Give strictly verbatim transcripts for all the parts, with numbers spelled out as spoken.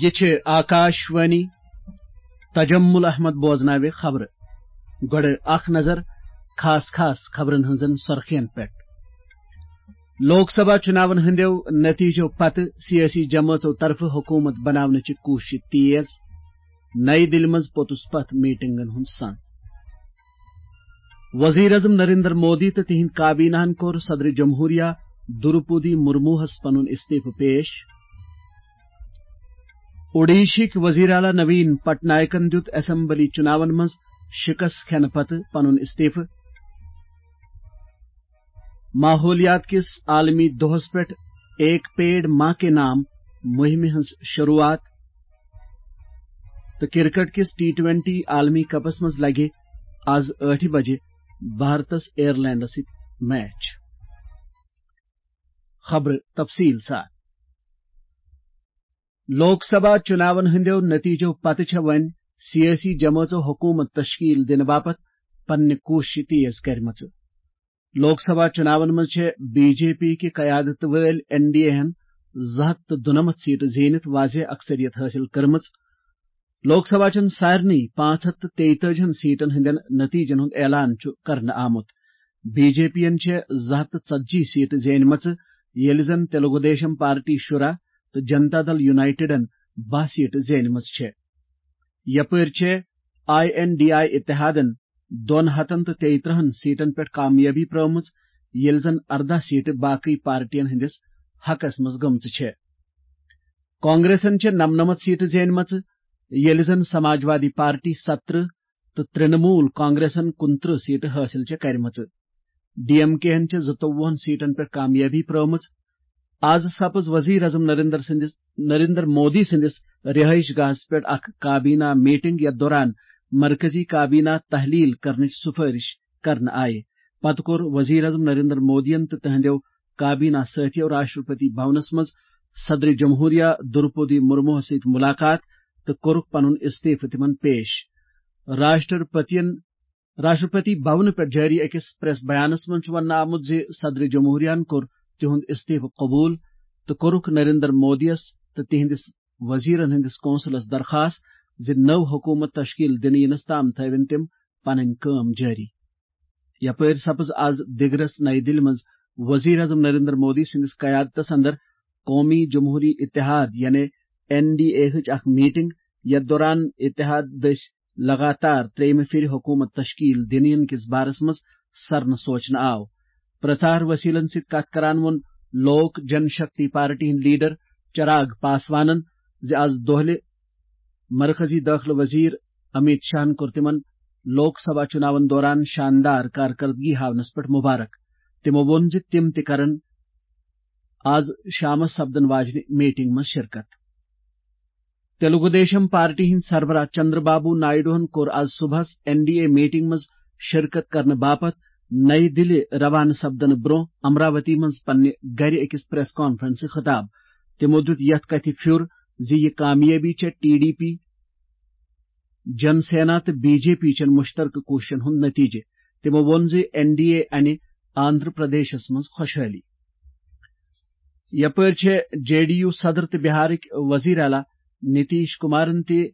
یہِ چھِ آکاش وانی۔ تجمل احمد بوزناوِ خبرٕ۔ گۄڈٕ اکھ نظر خاص خاص خبرن ہٕنٛزن سرخین پٮ۪ٹھ۔ لوک سبھا چُناون ہٕنٛدیو نتیجو پتہٕ سیٲسی جمٲژو طرفہٕ حکومت بناونٕچہِ کوٗشش تیز۔ نَیہِ دِلہِ منٛز پوٚتُس پتھ میٹنگن ہُنٛد سنز۔ وزیر اعظم نریندر مودی تہٕ تِہنٛدۍ کابینہن کوٚر صدر جمہوریہ دروپدی مرموہس پنُن استعفہٕ پیش۔ اوڈیشہٕکۍ وزیر اعلیٰ نوین پٹنائکن دیُت اسمبلی چُناون منٛز شکست کھٮ۪نہٕ پتہٕ پنُن استعفہٕ۔ ماحولیات کِس عالمی دۄہس پٮ۪ٹھ ایک پیڑ ماں کے نام مُہِمہِ ہٕنٛز شروٗعات۔ تہٕ کرکٹ کِس ٹی ٹوینٹی عالمی کپس منٛز لگہِ آز ٲٹھِ بجہِ بھارتس آیرلینڈس سۭتۍ میچ۔ خبرٕ تفصیٖل سان۔ لوک سبھا چُناون ہٕنٛدیو نتیجو پتہٕ چھےٚ وۄنۍ سیٲسی جمٲژو حکومت تشکیل دِنہٕ باپتھ پننہِ کوٗششہِ تیز کرِمژٕ۔ لوک سبھا چُناون منٛز چھےٚ بی جے پی کہِ قیادت وٲلۍ این ڈی اے ہن زٕ ہتھ تہٕ دُنمتھ سیٹہٕ زیٖنِتھ واضح اکثریت حٲصِل کٔرمٕژ۔ لوک سبھا چٮ۪ن سارنٕے پانٛژھ ہتھ تہٕ تیٚیہِ تٲجی ہن سیٹن ہٕنٛدٮ۪ن نتیجن ہُنٛد اعلان چھُ کرنہٕ آمُت۔ بی جے پی ین چھےٚ زٕ ہتھ تہٕ ژتجی سیٹہٕ زینمژٕ، ییٚلہِ زن تیلگو دیشم پارٹی شُراہ تہٕ جنتا دل یونائیٹڈن باہ سیٹہٕ زینمژٕ چھےٚ۔ یپٲرۍ چھےٚ آئی این ڈی آئی اتحادن دۄن ہتن تہٕ تیٚیہِ ترٕہن سیٹن پٮ۪ٹھ کامیٲبی پرٲومٕژ، ییٚلہِ زن ارداہ سیٹہٕ باقٕے پارٹین ہٕنٛدِس حقس منٛز گٔمژٕ چھےٚ۔ کانگریسن چھےٚ نمنمتھ سیٹہٕ زینمژٕ، ییٚلہِ زن سماجوادی پارٹی سترٕہ تہٕ ترٛنمول کانگریسن کُنترٕہ سیٹہٕ حٲصِل چھےٚ کرِمژٕ۔ ڈی ایم کے ہن چھےٚ زٕتووُہن سیٹن پٮ۪ٹھ کامیٲبی پرٲومٕژ۔ آز سپٕز وزیر اعظم نریندر سٕنٛدِس، نریندر مودی سٕنٛدِس رہٲیش گاہس پٮ۪ٹھ اکھ کابینہ میٹنگ، یتھ دوران مرکزی کابینہ تحلیل کرنٕچ سفٲرش کرنہٕ آیہِ۔ پتہٕ کوٚر وزیر اعظم نریندر مودیَن تہٕ تہنٛدیو کابینہ سٲتھیو راشٹرپتی بھونس منٛز صدر جمہوریہ دروپدی مرموہس سۭتۍ ملاقات تہٕ کوٚرُکھ پنُن استعفہٕ تِمن پیش۔ راشٹرپتین، راشٹرپتی بھونہٕ پٮ۪ٹھ جٲری أکِس پریس بیانس منٛز چھُ وننہٕ آمُت زِ صدر جمہوریہن کوٚر تِہُنٛد استعفہٕ قبول تہٕ کوٚرُکھ نریندر مودیَس تہٕ تِہنٛدِس وزیرن ہٕنٛدِس کونسلس درخاست زِ نٔو حکومت تشکیل دِنہٕ یِنس تام تھٲوِن تِم پنٕنۍ کٲم جٲری۔ یپٲرۍ سپٕز آز دِگرس نَیہِ دِلہِ منٛز وزیر اعظم نریندر مودی سٕنٛدِس قیادتس اندر قومی جمہوری اتحاد یعنی این ڈی اے ہٕچ اکھ میٹنگ، یتھ دوران اتحاد دٔسۍ لگاتار ترٛیٚیِمہِ پھِرِ حکومت تشکیل دِنہٕ یِنہٕ کِس بارس منٛز سرنہٕ سوچنہٕ آو۔ پرچار وسیلن سۭتۍ کتھ کران ووٚن لوک جن شکتی پارٹی ہٕنٛدۍ لیڈر چراغ پاسوانن زِ آز دۄہلہِ مرکزی دٲخلہٕ وزیر امیت شاہن کوٚر تِمن لوک سبھا چُناون دوران شاندار کارکردگی ہاونس پٮ۪ٹھ مبارک۔ تِمو ووٚن زِ تِم تہِ کرن آز شامس سپدن واجنہِ میٹنگ منٛز شرکت۔ تیلگو دیشم پارٹی ہٕنٛدۍ سربراہ چندر بابو نائیڈوہن کوٚر آز صبحس این ڈی اے میٹنگ منٛز شرکت کرنہٕ باپتھ نَیہِ دِلہِ روانہٕ سپدنہٕ برٛونٛہہ امراوتی منٛز پننہِ گرِ أکِس پریس کانفرنسہِ خطاب۔ تِمو دیُت یتھ کتھِ پھیُر زِ یہِ کامیٲبی چھےٚ ٹی ڈی پی، جن سینا تہٕ بی جے پی چٮ۪ن مشترکہٕ کوٗششن ہُنٛد نتیجہٕ۔ تِمو ووٚن زِ این ڈی اے انہِ آندھرا پردیشس منٛز خۄشحٲلی۔ یپٲرۍ چھےٚ جے ڈی یو صدر تہٕ بہارٕکۍ وزیر اعلیٰ نتیش کمارن تہِ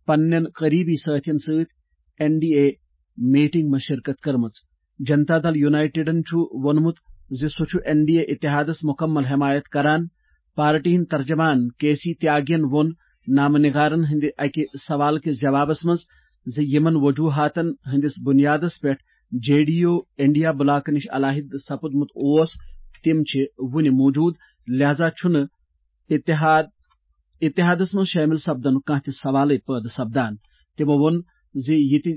پننٮ۪ن قریبی سٲتھین سۭتۍ این ڈی اے میٹنگ منٛز شرکت کٔرمٕژ۔ جنتا دل یونائیٹڈن چھُ ووٚنمُت زِ سُہ چھُ این ڈی اے اتحادس مکمل حمایت کران۔ پارٹی ہٕنٛدۍ ترجمان کے سی تیاگین ووٚن نامہ نگارن ہٕنٛدِ اکہِ سوال کِس جوابس منٛز زِ یِمن وجوہاتن ہٕنٛدِس بنیادس پٮ۪ٹھ J D U India block نِش علیحدٕ سپُدمُت اوس، تِم چھِ وُنہِ موجود، لہذا چھُنہٕ اتحاد، اتحادس منٛز شٲمِل سپدنُک کانٛہہ تہِ سوالٕے پٲدٕ سپدان۔ تِمو ووٚن زِ یہِ تہِ،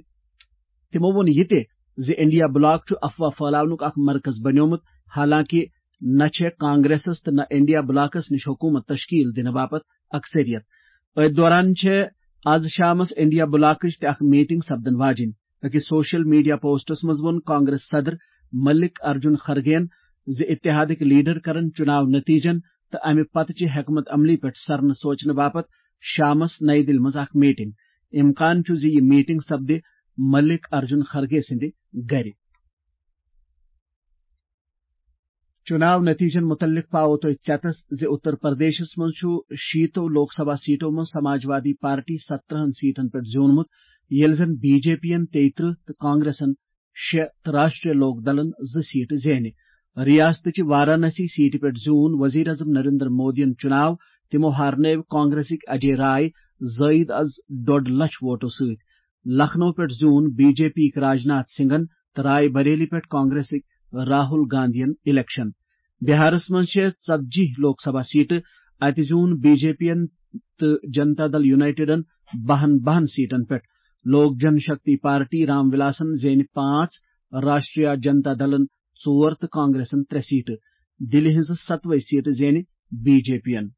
تِمو ووٚن یہِ تہِ زِ انڈیا بلاک چھُ افواہ پھٲلاونُک اکھ مرکز بنیومُت، حالانکہ نہ چھےٚ کانگریسس تہٕ نہ انڈیا بلاکس نِش حکومت تشکیل دِنہٕ باپتھ اکثریت۔ أتھۍ دوران چھےٚ آز شامس انڈیا بلاکٕچ تہِ اکھ میٹنگ سپدن واجِنۍ۔ أکِس سوشل میڈیا پوسٹس منٛز ووٚن کانگریس صدر ملک ارجن خرگین زِ اتحادٕکۍ لیڈر کرن چُناو نتیجن تہٕ امہِ پتہٕ چہِ حکمت عملی پٮ۪ٹھ سرنہٕ سوچنہٕ باپتھ شامس نَیہِ دِلہِ منٛز اکھ میٹنگ۔ امکان چھُ زِ یہِ میٹنگ سپدِ ملک ارجن خرگے سٕنٛدِ گرِ۔ چُناو نتیجن متعلق پاوو تۄہہِ ژٮ۪تس زِ اتر پردیشس منٛز چھُ شیٖتو لوک سبھا سیٹو منٛز سماجوادی پارٹی سترہن سیٹن پٮ۪ٹھ زیوٗنمُت، ییٚلہِ زن بی جے پی یَن تیٚیہِ ترٕہ تہٕ کانگریسن شےٚ تہٕ راشٹریہ لوک دلن زٕ سیٹہٕ زینہِ۔ ریاستٕچہِ وارانسی سیٹہِ پٮ۪ٹھ زیوٗن وزیر اعظم نریندر مودیَن چُناو۔ تِمو ہارنٲوۍ کانگریسٕکۍ اجے رائے زٲیِد از ڈۄڈ لچھ ووٹو سۭتۍ۔ لکھنؤ پٮ۪ٹھ زیوٗن بی جے پی یِکۍ راجناتھ سنگھن تہٕ رائے بریلی پٮ۪ٹھ کانگریسٕکۍ راہل گاندھین الیکشن۔ بہارس منٛز چھےٚ ژتجی لوک سبھا سیٹہٕ۔ اتہِ زیوٗن بی جے پی یَن تہٕ جنتا دل یونائیٹڈن بہن بہن سیٹن پٮ۪ٹھ۔ لوک جن شکتی پارٹی رام ولاسن زینہِ پانٛژھ، راشٹریہ جنتا دلن ژور تہٕ کانگریسن ترٛےٚ سیٹہٕ۔ دِلہِ ہٕنٛزٕ ستوے سیٹہٕ زینہِ بی جے پی یَن۔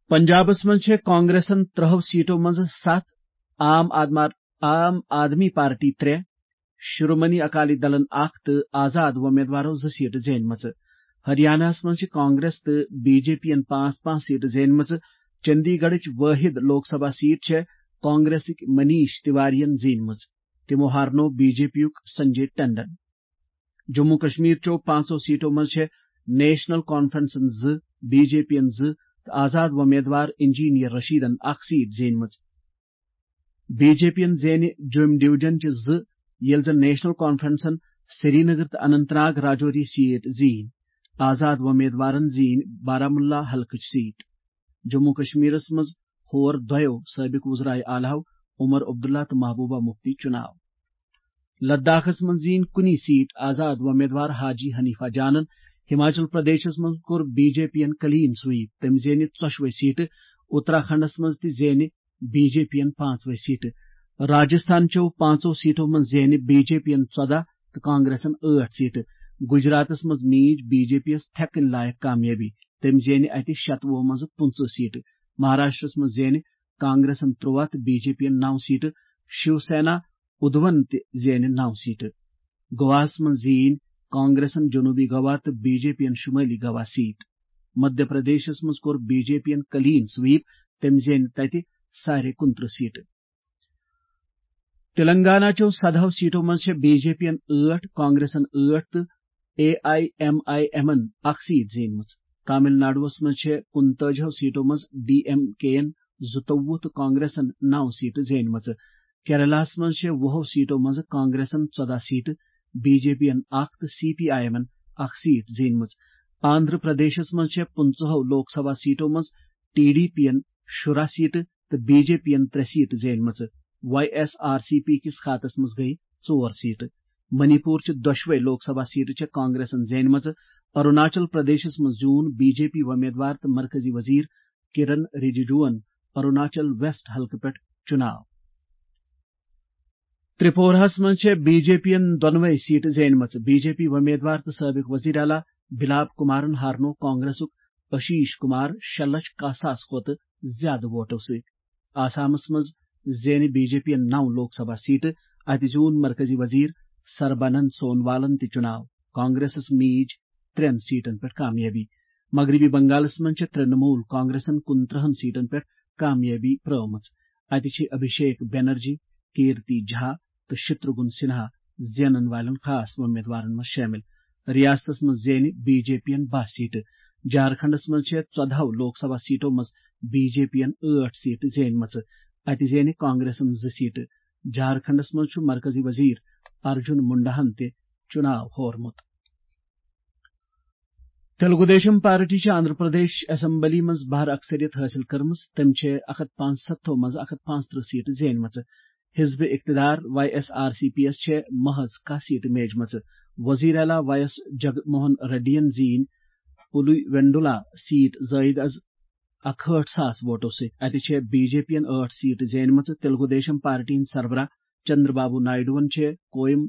پنجابس منٛز چھےٚ کانگریسن ترٛہو سیٹو منٛزٕ ستھ، عام آدمار-، عام آدمی پارٹی ترٛےٚ، شرومنی اکالی دلن اکھ تہٕ آزاد وۄمیدوارو زٕ سیٹہٕ زینمژٕ۔ ہریاناہس منٛز چھِ کانگریس تہٕ بی جے پی یَن پانٛژھ پانٛژھ سیٹہٕ زینمژٕ۔ چندی گڑھٕچ وٲحد لوک سبھا سیٹ چھےٚ کانگریسٕکۍ منیش تیواریَن زینمٕژ۔ تِمو ہارنوو بی جے پی یُک سنجے ٹنڈن۔ جموں کشمیر چیو پانٛژو سیٹو منٛز چھےٚ نیشنل کانفرنسن زٕ، بی جے پی یَن زٕ تہٕ آزاد وۄمیدوار انجینئر رشیدن اکھ سیٹ زینمٕژ۔ بی جے پی یَن زینہِ جوٚم ڈویژن چہِ زٕ، ییٚلہِ زن نیشنل کانفرنسن سرینگر تہٕ اننت ناگ راجوری سیٹ زیٖنۍ۔ آزاد وۄمیدوارن زیٖنۍ بارامولہ حلقٕچ سیٹ۔ جموں کشمیرس منٛز ہور دۄیو سٲبق وزرائے اعلیٰ عمر عبداللہ تہٕ محبوبہ مفتی چُناو۔ لداخس منٛز زیٖنۍ کُنی سیٹ آزاد وۄمیدوار حاجی حنیفہ جانن۔ ہماچل پردیشس منٛز کوٚر بی جے پی یَن کلین سویپ، تٔمۍ زینہِ ژۄشوے سیٹہٕ۔ اتراکھنڈس منٛز تہِ زینہِ بی جے پی یَن پانٛژوے سیٹہٕ۔ راجستھان چیو پانٛژو سیٹو منٛز زینہِ بی جے پی یَن ژۄداہ تہٕ کانگریسن ٲٹھ سیٹہٕ۔ گجراتس منٛز میٖج بی جے پی یَس تھٮ۪کٕنۍ لایق کامیٲبی، تٔمۍ زینہِ اتہِ شتوُہ منٛزٕ پٕنٛژٕہ سیٹہٕ۔ مہاراشٹرس منٛز زینہِ کانگریسن ترٛواہ تہٕ بی جے پی یَن نو سیٹہٕ۔ شیو سینا ادھون تہِ زینہِ نو سیٹہٕ۔ گواہس منٛز زیٖنۍ کانگریسن جنوبی گوا تہٕ بی جے پی یَن شمٲلی گوا سیٹ۔ مدھیہ پردیشس منٛز کوٚر بی جے پی یَن کلین سویپ، تٔمۍ زینہِ تتہِ سارے کُنترٕہ سیٹہٕ۔ تلنگانہ چیو سدہو سیٹو منٛز چھےٚ بی جے پی یَن ٲٹھ، کانگریسن ٲٹھ تہٕ اے آئی ایم آئی ایمن اکھ سیٹ زینمٕژ۔ تامل ناڈوَس منٛز چھےٚ کُنتٲجِہو سیٹو منٛز ڈی ایم کے یَن زٕتووُہ تہٕ کانگریسن نو سیٹہٕ زینمژٕ۔ کیرلاہَس منٛز چھےٚ وُہو سیٹو منٛز کانگریسن ژۄداہ سیٹہٕ، بی جے پی یَن اکھ تہٕ سی پی آئی ایمن اکھ سیٹ زینمٕژ۔ آندھرا پردیشس منٛز چھےٚ پٕنٛژٕہو لوک سبھا سیٹو منٛز ٹی ڈی پی یَن شُراہ سیٹہٕ تہٕ بی جے پی یَن ترٛےٚ سیٹہٕ زینمژٕ۔ واے ایس آر سی پی کِس خاتس منٛز گٔیہِ ژور سیٹہٕ۔ منی پور چہِ دۄشوے لوک سبھا سیٹہٕ چھےٚ کانگریسن زینمژٕ۔ اروناچل پردیشس منٛز زیوٗن بی جے پی وۄمیدوار تہٕ مرکزی وزیر کرن رجیجوَن اروناچل ویسٹ حلقہٕ پٮ۪ٹھ چُناو۔ ترٛپوٗراہَس منٛز چھےٚ بی جے پی یَن دۄنوَے سیٹہٕ زینمژٕ۔ بی جے پی وۄمیدوار تہٕ سٲبق وزیر اعلیٰ بِلاپ کُمارَن ہارنوو کانگریسُک اشیش کُمار شےٚ لچھ کاہ ساس کھۄتہٕ زیادٕ ووٹو سۭتۍ۔ آسامَس منٛز زینہِ بی جے پی یَن نَو لوک سبھا سیٹہٕ۔ اَتہِ زیوٗن مرکزی وزیر سربانند سونوالَن تہِ چُناو۔ کانگریسَس میٖج ترٛٮ۪ن سیٹَن پٮ۪ٹھ کامیٲبی۔ مغربی بنگالَس منٛز چھےٚ ترٛنمول کانگریسَن کُنترٕہَن سیٹَن پٮ۪ٹھ کامیٲبی پرٲومٕژ۔ اَتہِ چھِ ابھیشیک بنرجی، کیرتی جھا تہٕ شتروگھن سنہا زینن والٮ۪ن خاص وۄمیدوارن منٛز شٲمِل۔ ریاستس منٛز زینہِ بی جے پی یَن باہ سیٹہٕ۔ جھارکھنڈس منٛز چھےٚ ژۄدہو لوک سبھا سیٹو منٛز بی جے پی یَن ٲٹھ سیٹہٕ زینمژٕ۔ اَتہِ زینہِ کانگریسن زٕ سیٹہٕ۔ جھارکھنڈس منٛز چھُ مرکزی وزیر ارجن منڈاہن تہِ چُناو ہورمُت۔ تیلگو دیشم پارٹی چھِ آندھرا پردیش اسمبلی منٛز بہر اکثریت حٲصِل کٔرمٕژ۔ تٔمۍ چھِ اکھ ہتھ پانٛژستتھو منٛز اکھ ہتھ پانٛژترٕہ سیٹہٕ زینمژٕ۔ حزب اقتدار واے ایس آر سی پی یَس چھےٚ محض کاہ سیٹہٕ میجمژٕ۔ وزیر اعلیٰ واے ایس جگموہن ریڈی یَن زیٖنۍ پُلی وینڈولا سیٹ زٲیِد از اکہٲٹھ ساس ووٹو سۭتۍ۔ اَتہِ چھےٚ بی جے پی یَن ٲٹھ سیٹہٕ زینمژٕ۔ تیلگو دیشم پارٹی ہٕنٛدۍ سربراہ چندر بابو نائیڈوَن چھےٚ کویم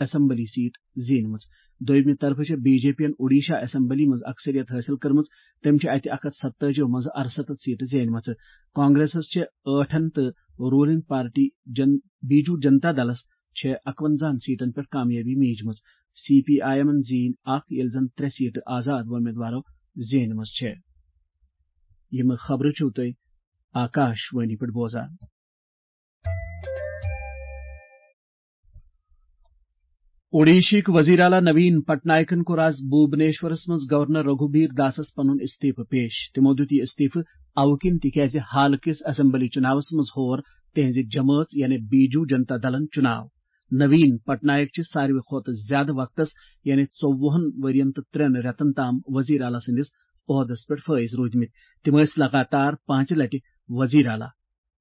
اسمبلی سیٹ زینمٕژ۔ دوٚیمہِ طرفہٕ چھےٚ بی جے پی یَن اوڈیشہ اسمبلی منٛز اکثریت حٲصِل کٔرمٕژ۔ تٔمۍ چھِ اَتہِ اکھ ہتھ ستٲجی منٛز ارستتھ سیٹہٕ زینمژٕ۔ کانگریسَس چھےٚ ٲٹھن تہٕ رولنگ پارٹی جن-، بیجو جنتا دلس چھےٚ اکونزہن سیٹن پٮ۪ٹھ کامیٲبی میٖجمٕژ۔ سی پی آئی ایمن زیٖنۍ اکھ، ییٚلہِ زن ترٛےٚ سیٹہٕ آزاد وۄمیدوارو زینمٕژ چھےٚ۔ یِم خبرٕ چھِو تُہۍ آکاش وانی پٮ۪ٹھ بوزان۔ اوڈیشہٕکۍ وزیر اعلیٰ نوین پٹنائکن کوٚر آز بھوبنیشورس منٛز گورنر رگھوبیر داسس پنُن استعفہٕ پیش۔ تِمو دیُت یہِ استعفہٕ اَوٕ کِنۍ تِکیازِ حالہٕ کِس اسمبلی چُناوس منٛز ہور تِہنزِ جمٲژ یعنی بیجو جنتا دلن چُناو۔ نوین پٹنائک چھِ ساروی کھۄتہٕ زیادٕ وقتس یعنی ژوٚوُہن ؤرین تہٕ ترٛٮ۪ن رٮ۪تن تام وزیر اعلیٰ سٕنٛدِس عہدس پٮ۪ٹھ فٲیز روٗدمٕتۍ۔ تِم ٲسۍ لگاتار پانٛژِ لٹہِ وزیر اعلیٰ۔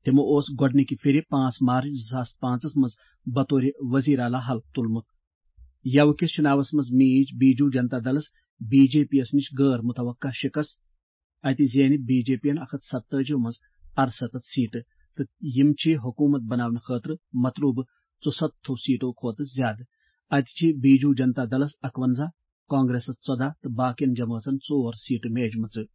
تِمو اوس گۄڈٕنِکہِ پھِرِ پانٛژھ مارچ زٕ ساس پانٛژس منٛز بطورِ وزیر اعلیٰ حلف تُلمُت۔ یَوٕ کِس چُناوس منٛز میٖج بیجو جنتا دلس بی جے پی یَس نِش غٲر متوقع شِکست۔ اَتہِ زینہِ بی جے پی یَن اکھ ہتھ ستٲجی منٛز ارستتھ سیٹہٕ تہٕ یِم چھِ حکوٗمت بناونہٕ خٲطرٕ مطلوبہٕ ژُسَتتھو سیٹو کھۄتہٕ زیادٕ۔ اَتہِ چھِ بیجو جنتا دلس اکونزہ، کانگریسس ژۄداہ تہٕ باقین جمٲژن ژور سیٹہٕ میجمژٕ۔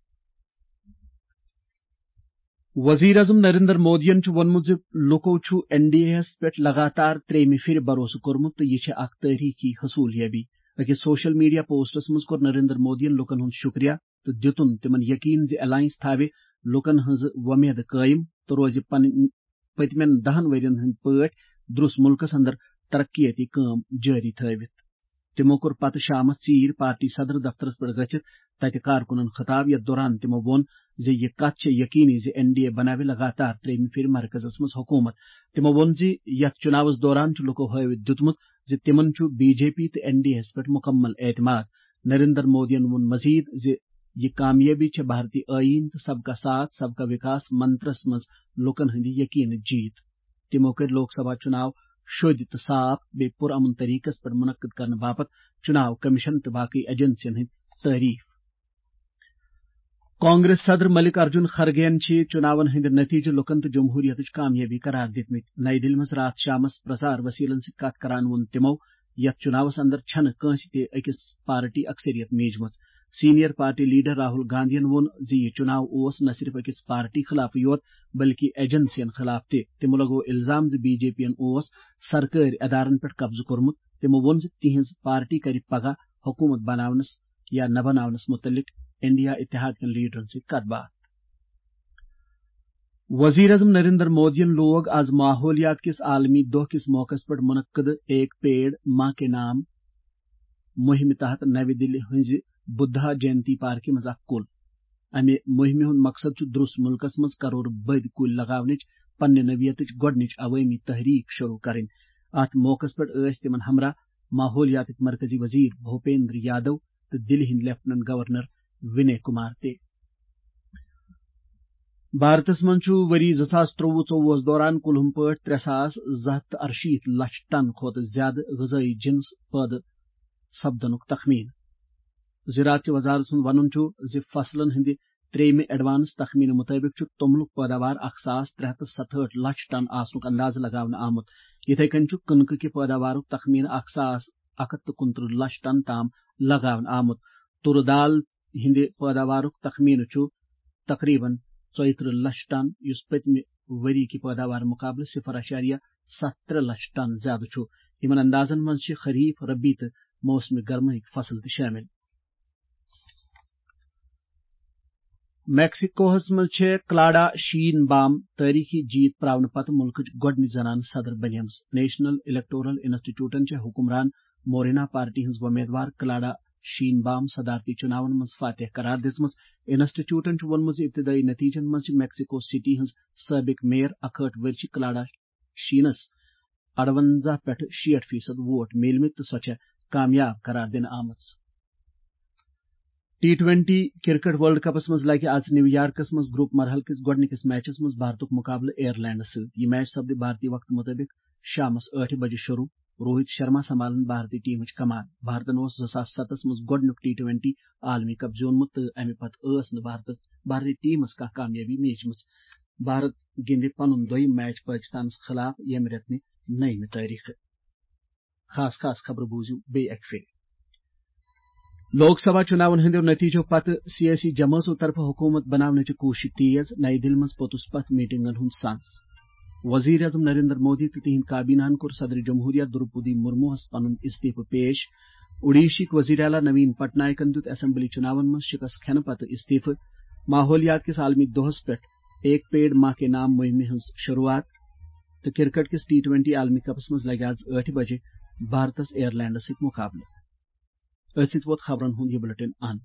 وزیر اعظم نریندر مودیَن چھُ ووٚنمُت زِ لوٗکو چھُ این ڈی اے یَس پٮ۪ٹھ لگاتار ترٛیٚیِمہِ پھِرِ بھروسہٕ کوٚرمُت تہٕ یہِ چھِ اکھ تٲریخی حصولیابی۔ أکِس سوشل میڈیا پوسٹس منٛز کوٚر نریندر مودیَن لوٗکن ہُنٛد شُکریہ تہٕ دِتُن تِمن یقین زِ الائنس تھاوِ لوٗکن ہٕنٛز وۄمید قٲیِم تہٕ روزِ پنٕنۍ پٔتمٮ۪ن دَہَن ؤرین ہٕنٛدۍ پٲٹھۍ درٛوس مُلکس اندر ترقیتی کٲم جٲری تھٲوِتھ۔ تِمو کوٚر پتہٕ شامس ژیٖرۍ پارٹی صدر دفترس پٮ۪ٹھ گٔژھِتھ تتہِ کارکُنن خطاب، یتھ دوران تِمو ووٚن زِ یہِ کتھ چھےٚ یقینی زِ این ڈی اے بناوِ لگاتار ترٛیٚیِمہِ پھِرِ مرکزس منٛز حکوٗمت۔ تِمو ووٚن زِ یتھ چُناوس دوران چھُ لوٗکو ہٲوِتھ دیُتمُت زِ تِمن چھُ بی جے پی تہٕ این ڈی اے یَس پٮ۪ٹھ مُکمل اعتماد۔ نریندر مودیَن ووٚن مزید زِ یہِ کامیٲبی چھےٚ بھارتی ٲییٖن تہٕ سب کا ساتھ، سب کا وِکاس منترس منٛز لوٗکن ہٕنٛدِ یقینٕچ جیٖت۔ تِمو کٔرۍ لوک سبھا چُناو شوٚدۍ تہٕ صاف بیٚیہِ پُرامن طریقس پٮ۪ٹھ منعقد کرنہٕ باپتھ چُناو کمیشن تہٕ باقٕے ایجنسین ہٕنٛدۍ تعریف۔ کانگریس صدر ملک ارجن خرگے یَن چھِ چُناون ہٕنٛدۍ نتیجہٕ لوٗکن تہٕ جمہوریتٕچ کامیٲبی قرار دِتمٕتۍ۔ نئی دِلہِ منٛز راتھ شامس پرسار وسیلن سۭتۍ کتھ کران ووٚن تِمو، یتھ چُناوس اندر چھنہٕ کٲنٛسہِ تہِ أکِس پارٹی اکثریت میٖجمٕژ۔ سینئر پارٹی لیڈر راہل گاندھین ووٚن زِ یہِ چُناو اوس نہ صرف أکِس پارٹی خلاف یوت، بلکہِ ایجنسین خلاف تہِ۔ تِمو لگوو الزام زِ بی جے پی یَن اوس سرکٲرۍ ادارن پٮ۪ٹھ قبضہٕ کوٚرمُت۔ تِمو ووٚن زِ تِہنٛز پارٹی کرِ پگاہ حکوٗمت بناونس یا نہ بناونس مُتعلق انڈیا اتحاد کٮ۪ن لیڈرن سۭتۍ کتھ باتھ۔ وزیر اعظم نریندر مودیَن لوگ آز ماحولیات کِس عالمی دۄہ کِس موقعس پٮ۪ٹھ منعقد ایک پیڑ ماں کے نام مُہِمہِ تحت نَوِ دِلہِ ہٕنٛزِ بُدھا جینتی پارکہِ منٛز اکھ کُل۔ اَمہِ مُہِمہِ ہُنٛد مقصد چھُ درٛوس مُلکس منٛز کرور بٔدۍ کُلۍ لگاونٕچ پننہِ نوعیتٕچ گۄڈٕنِچ عوٲمی تحریک شروع کرٕنۍ۔ اَتھ موقعس پٮ۪ٹھ ٲسۍ تِمن ہمراہ ماحولیاتٕکۍ مرکزی وزیر بھوپیندر یادو تہٕ دِلہِ ہٕنٛدۍ لیفٹیننٹ گورنر وِنے کُمار تہِ۔ بھارتس منٛز چھُ ؤری زٕ ساس ترٛۆوُہ ژۄوُہس دوران کُلہُم پٲٹھۍ ترٛےٚ ساس زٕ ہَتھ تہٕ اَرشیٖتھ لچھ ٹن کھۄتہٕ زیادٕ غذٲیی جنس پٲدٕ سپدنُک تخمین۔ زراعت چہِ وزارت سُنٛد وَنُن چھُ زِ فصلن ہٕنٛدِ ترٛیٚیِمہِ ایڈوانس تخمینہٕ مُطٲبِق چھُ توٚملُک پٲداوار اکھ ساس ترٛےٚ ہَتھ تہٕ ستہٕ ہٲٹھ لچھ ٹن آسنُک اندازٕ لگاونہٕ آمُت۔ یِتھے کٔنۍ چھُ کٕنکہٕ کہِ پٲداوارُک تخمینہٕ اکھ ساس اکھ ہَتھ تہٕ کُنترٕہ لچھ ٹن تام لگاونہٕ آمُت۔ تُرٕ دال ہٕنٛدِ پٲداوارُک تخمینہٕ چھُ تقریباً ژۄیہِ ترٕٛہ لچھ ٹن، یُس پٔتمہِ ؤری کہِ پٲداوار مُقابلہٕ صفر اعشاریہ ستھ ترٛےٚ لچھ ٹن زیادٕ چھُ۔ یِمن اندازن منٛز چھِ خریف، ربی تہٕ موسمِ گرمہٕکۍ فصل تہِ شٲمِل۔ میکسیکوہس منٛز چھےٚ کلاڈا شین بام تٲریخی جیت پراونہٕ پتہٕ مُلکٕچ گۄڈٕنِچ زنانہٕ صدر بنیمٕژ۔ نیشنل الیکٹورل انسٹیٹیوٹن چھےٚ حکمران مورینا پارٹی ہٕنٛز وۄمیدوار کلاڈا شین بام صدارتی چُناون منٛز فاتح قرار دِژمٕژ۔ انسٹیٹیوٹن چھُ ووٚنمُت زِ ابتدٲئی نتیجن منٛز چھِ میکسیکو سٹی ہٕنٛز سٲبق میئر اکہٲٹھ ؤرشہِ کلاڈا شینس اَرونزاہ پٮ۪ٹھ شیٹھ فیصد ووٹ میلمٕتۍ تہٕ سۄ چھےٚ کامیاب قرار دِنہٕ آمٕژ۔ T twenty cricket world cups منٛز لگہِ آز نیو یارکس منٛز گروپ مرحلہٕ کِس گۄڈٕنِکِس میچس منٛز بھارتُک مُقابلہٕ ایئرلینڈس سۭتۍ۔ یہِ میچ سپدِ بھارتی وقتہٕ مُطٲبِق شامس ٲٹھِ بجہِ شروع۔ روہت شرما سنبھالن بھارتی ٹیمٕچ کمان۔ بھارتن اوس زٕ ساس ستس منٛز گۄڈٕنیُک ٹی ٹوینٹی عالمی کپ زیوٗنمُت تہٕ امہِ پتہٕ ٲس نہٕ بھارتس، بھارتی ٹیمس کانٛہہ کامیٲبی میجمٕژ۔ بھارت گِنٛدِ پنُن دوٚیِم میچ پٲکِستانس خلاف ییٚمہِ رٮ۪تہٕ نَیِمہِ تٲریخہٕ۔ خاص خاص خبرٕ بوٗزِو بیٚیہِ اَکہِ پھِرِ۔ لوک سبھا چُناون ہٕنٛدیو نتیجو پتہٕ سیٲسی جمٲژو طرفہٕ حکوٗمت بناونٕچہِ کوٗشش تیز، نَیہِ دِلہِ منٛز پوٚتُس پتھ میٹنگن ہُنٛد سانس۔ وزیر اعظم نریندر مودی تہٕ تِہنٛدۍ کابینہن کوٚر صدر جمہوریہ دروپدی مرموہس پنُن استعفہٕ پیش۔ اوڈیشہٕکۍ وزیر اعلیٰ نوین پٹنائکن دیُت اسمبلی چُناون منٛز شکست کھٮ۪نہٕ پتہٕ استعفہٕ۔ ماحولیات کِس عالمی دۄہس پٮ۪ٹھ ایک پیڑ ماں کے نام مُہِمہِ ہٕنٛز شروٗعات تہٕ کرکٹ کِس ٹی ٹوینٹی عالمی کپس منٛز لگہِ آز ٲٹھِ بجہِ بھارتس ایئر لینڈس سۭتۍ مقابلہٕ۔ أتھۍ سۭتۍ ووت خبرن ہُنٛد یہِ بلیٹن اند۔